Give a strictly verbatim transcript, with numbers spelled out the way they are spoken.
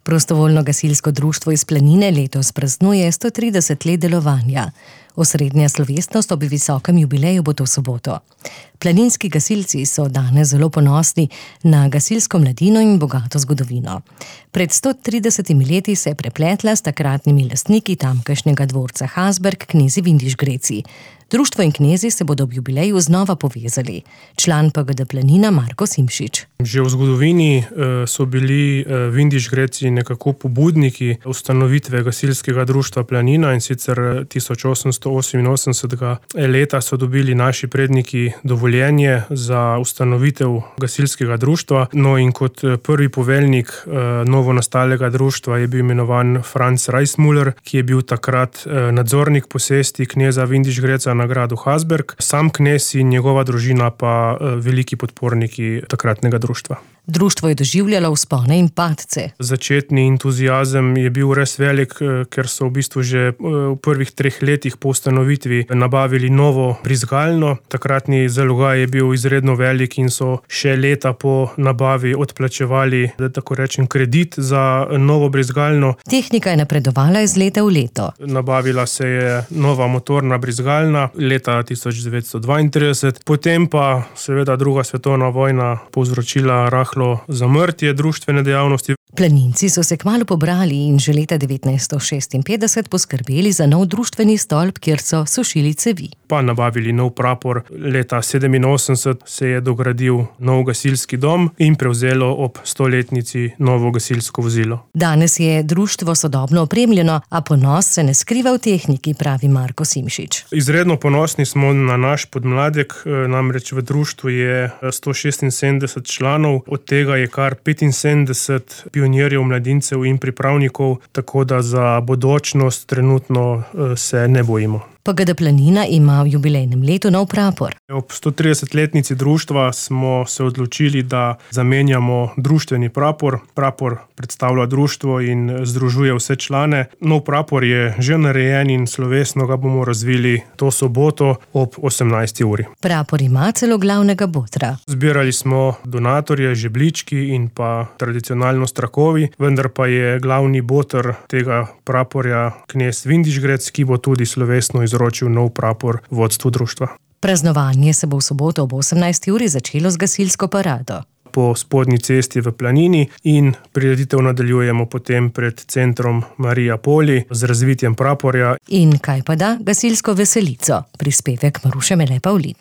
Prostovoljno gasilsko društvo iz Planine letos praznuje sto trideset let delovanja. Osrednja slovesnost ob visokem jubileju bo to soboto. Planinski gasilci so danes zelo ponosni na gasilsko mladino in bogato zgodovino. Pred sto tridesetimi leti se je prepletla s takratnimi lastniki tamkajšnjega dvorca Hasberg, knezi Vindiš Greci. Društvo in knezi se bodo ob jubileju znova povezali. Član P G D Planina Marko Simšič. Že v zgodovini so bili Vindiš Greci nekako pobudniki ustanovitve gasilskega društva Planina, in sicer tisoč osemsto oseminosemdesetega leta so dobili naši predniki dovoljenje za ustanovitev gasilskega društva. No, in kot prvi poveljnik novo nastalega društva je bil imenovan Franz Reismuller, ki je bil takrat nadzornik posesti kneza Vindiš Greca na gradu Hasberg. Sam knez in njegova družina pa veliki podporniki takratnega društva. Društvo je doživljalo vzpone in padce. Začetni entuziazem je bil res velik, ker so v bistvu že v prvih treh letih po ustanovitvi nabavili novo brizgalno. Takratni zalogaj je bil izredno velik in so še leta po nabavi odplačevali, da tako rečem, kredit za novo brizgalno. Tehnika je napredovala iz leta v leto. Nabavila se je nova motorna brizgalna leta tisoč devetsto dvaintrideset, potem pa seveda druga svetovna vojna povzročila rahlo zamrtje društvene dejavnosti. Planinci so se kmalu pobrali in že leta devetnajststo šestinpetdeset poskrbeli za nov društveni stolp, kjer so sušili cevi. Pa nabavili nov prapor. Leta sedeminosemdeset se je dogradil nov gasilski dom in prevzelo ob stoletnici novo gasilsko vozilo. Danes je društvo sodobno opremljeno, a ponos se ne skriva v tehniki, pravi Marko Simšič. Izredno ponosni smo na naš podmladek, namreč v društvu je sto šestinsedemdeset članov, od tega je kar petinsedemdeset pionirjev, mladincev in pripravnikov, tako da za bodočnost trenutno se ne bojimo. P G D Planina ima v jubilejnem letu nov prapor. Ob sto tridesetletnici društva smo se odločili, da zamenjamo društveni prapor. Prapor predstavlja društvo in združuje vse člane. Nov prapor je že narejen in slovesno ga bomo razvili to soboto ob osemnajsti uri. Prapor ima celo glavnega botra. Zbirali smo donatorje, žebljički in pa tradicionalno strakovi, vendar pa je glavni boter tega praporja knez Vindiš Grec, ki bo tudi slovesno izročil nov prapor vodstvu društva. Praznovanje se bo v soboto ob osemnajsti uri začelo z gasilsko parado po Spodnji cesti v Planini in prireditev nadaljujemo potem pred centrom Marija Poli z razvitjem praporja. In kaj pa da gasilsko veselico, prispevek Maruše Mele Pavlin.